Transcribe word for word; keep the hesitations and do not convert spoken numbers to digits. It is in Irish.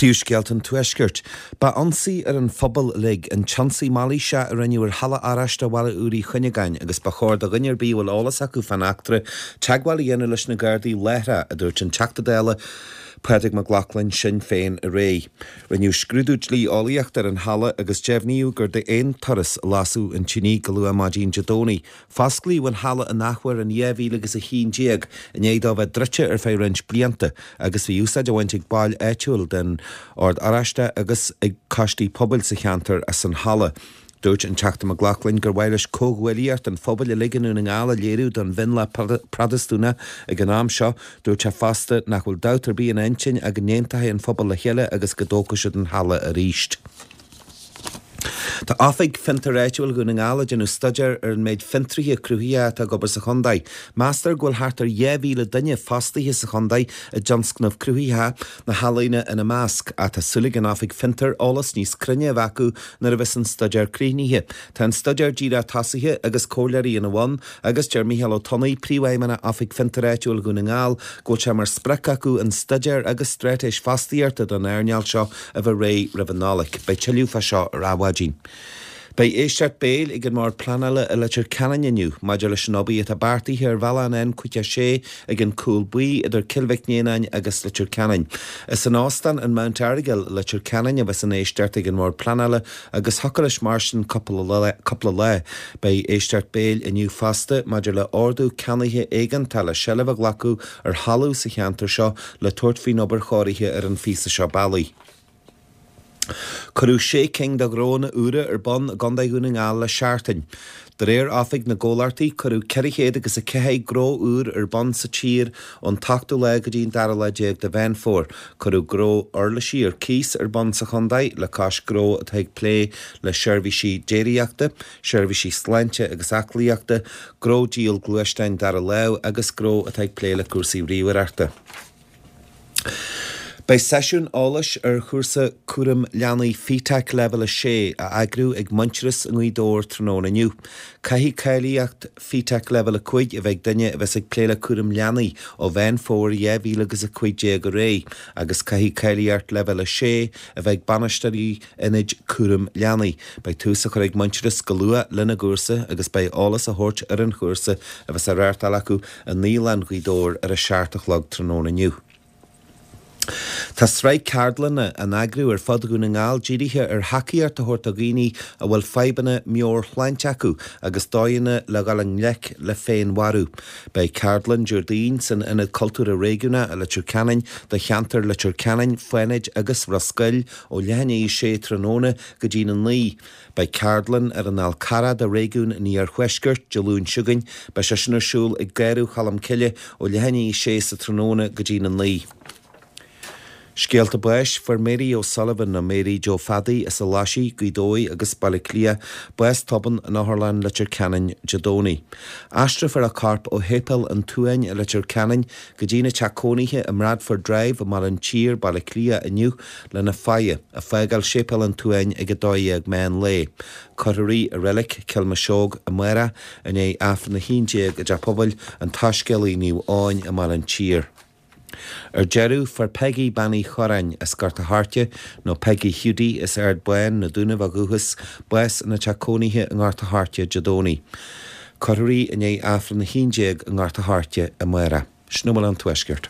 Príomhscéalta an Tuaiscirt. Ba ionsaí ar an phobal uilig an t-ionsaí mailíseach a rinneadh ar Halla Oráiste Bhaile Úr Uí Chuinneagáin agus ba chóir do dhuine ar bith a bhfuil eolas acu fán eachtra teagmháil a dhéanamh leis na Gardaí láithreach, a dúirt an Teachta Dála Pádraig Mac Lochlainn, Sinn Féin, aréir. Rinneadh scrúdú dlí-eolaíochta ar an halla agus deimhníodh gur d'aon turas a lasadh an tine go luath maidin Dé Domhnaigh. Fosclaíodh an halla in athuair in dhá mhíle agus a haon déag i ndiaidh dó bheith druidte ar feadh roinnt blianta agus bhí úsáid á bhaint ag baill áitiúil den Ord Oráisteach agus ag coistí pobail sa cheantar as an halla. Dúirt an Teachta Mac Lochlainn gur mhaith leis comhghuaillíocht an phobail uilig i nDún na nGall a léiriú don mhionlach Protastúnach ag an am seo. Dúirt sé fosta nach bhfuil dabht ar bith ina intinn ach go n-aontóidh an phobal le chéile agus go dtógfaidh siad an halla arís. Tá Oifig Fiontar Áitiúil Dhún na nGall ag déanamh staidéir ar an méid fiontraithe cruthaitheacha atá ag obair sa chontae. Meastar go bhfuil thart ar dhá mhíle duine fostaithe sa chontae i dtionscnamh cruthaitheach, na healaíona ina measc, ach tá súil ag an Oifig Fiontar eolas níos cruinne a bheith acu nuair a bheas an staidéar críochnaithe. Tá an staidéar díreach tosaithe agus comhairleoirí ina bhun agus deir Mícheál Ó Tonnaigh, Príomhfheidhmeannach Oifig Fiontar Áitiúil Dhún na nGall, go bhfuil sé mar sprioc acu an staidéar agus straitéis fostaíochta don earnáil seo a bheith réidh roimh an Nollaig. Beidh tuilleadh fá seo ar Adhmhaidin. Beidh éisteacht béil ag an mBord Pleanála i Leitir Ceanainn inniu maidir leis an obair atá beartaithe ar bhealach an N caoga a sé ag an Cúl Buí idir Cill Mhic Néanáin agus Leitir Ceanainn. Is in Óstán an Mount Errigal i Leitir Ceanainn a bheas an éisteacht ag an mBord Pleanála agus thiocfadh leis mairstin cúpla lá. Beidh éisteacht béil inniu fosta maidir le ordú ceannaithe éigeantach le seilbh a ghlacadh ar thalamh sa cheantar seo le tabhairt faoin obair chóirithe ar an phíosa seo bealaigh. Cuireadh sé cinn de ghnónna úra ar bun i gContae Dhún na nGall le seachtain. De réir Oifig na gComhlachtaí, cuireadh ceithre chéad agus a ceathair gnó úr ar bun sa tír ón t-ochtú lá go dtí an dara lá déag de Mheán Fómhair. Cuireadh gnó uirlisí ar cíos ar bun sa chontae le cois gnó atá ag plé le seirbhísí déiríochta, seirbhísí sláinte agus aclaíochta, gnó díol gluaisteáin dara lámh agus gnó atá ag plé le cúrsaí ríomhaireachta. Beidh seisiún eolais ar chúrsa cúram leanaí FETAC Leibhéal a sé á eagrú ag Muintearas i nGaoth Dobhair tráthnóna inniu. Caithfidh cáilíocht FETAC Leibhéal a cúig a bheith ag duine a bheas ag plé le cúram leanaí ó Mheán Fómhair dhá mhíle agus a cúig déag ar aghaidh agus caithfidh cáilíocht Leibhéal a sé a bheith ag bainisteoirí ionaid cúram leanaí. Beidh tús á chur ag Muintearas go luath lena gcúrsa agus beidh eolas á thabhairt ar an chúrsa a bheas á reáchtáil acu i Naíolann Ghaoth Dobhair ar a seacht a chlog tráthnóna inniu. Tá sraith ceardlanna á n-eagrú ar fud Dhún na nGall dírithe ar thacaíocht a thabhairt do dhaoine a bhfuil fadhbanna meabhairshláinte acu agus dóigheanna le dhul i ngleic le féinmharú. Beidh ceardlann Déardaoin san Ionad Cultúrtha Réigiúnach i Leitir Ceanainn do cheantar Leitir Ceanainn, Fánaid agus Ros Goill ó leath i ndiaidh a sé tráthnóna go dtí'n a naoi. Beidh ceardlann ar an Fhál Carrach do réigiún an Iarthuaiscirt Dé Luain seo chugainn. Beidh sé sin ar siúl ag Garradh Cholm Cille ó leath i ndiaidh a sé sa tráthnóna go dtí'n a naoi. Scéalta báis, Fuair Mary O'Sullivan nó Mary Joe Phadaí as an Laisigh, Gaoth Dobhair agus Baile Átha Cliath, bás tobann in Otharlann Leitir Ceanainn Dé Domhnaigh. Aistreofar a corp ó Shéipéal an tSuain i Leitir Ceanainn go dtína teach cónaithe i mBradford Drive i mBaile an tSír, Baile Átha Cliath inniu lena faire, ag fágáil Séipéal an tSuain ag a dó dhéag meán lae. Cuirfear í i Reilig Cill Mhiseog amárach i ndiaidh Aifreann a haon déag i dTeach Pobail an tSoiscéalaí Naomh Eoin i mBaile an tSír. Ar deireadh, fuair Peggy Bean Uí Chorráin as Gort a' Choirce, nó Peggy Hiúdaí as Ard Bán, na Dúnaibh ó dhúchas, bás ina teach cónaithe i nGort a' Choirce Dé Domhnaigh. Cuirfear í i ndiaidh Aifreann a haon déag i nGort a' Choirce amárach. Sin a bhfuil ón Tuaisceart.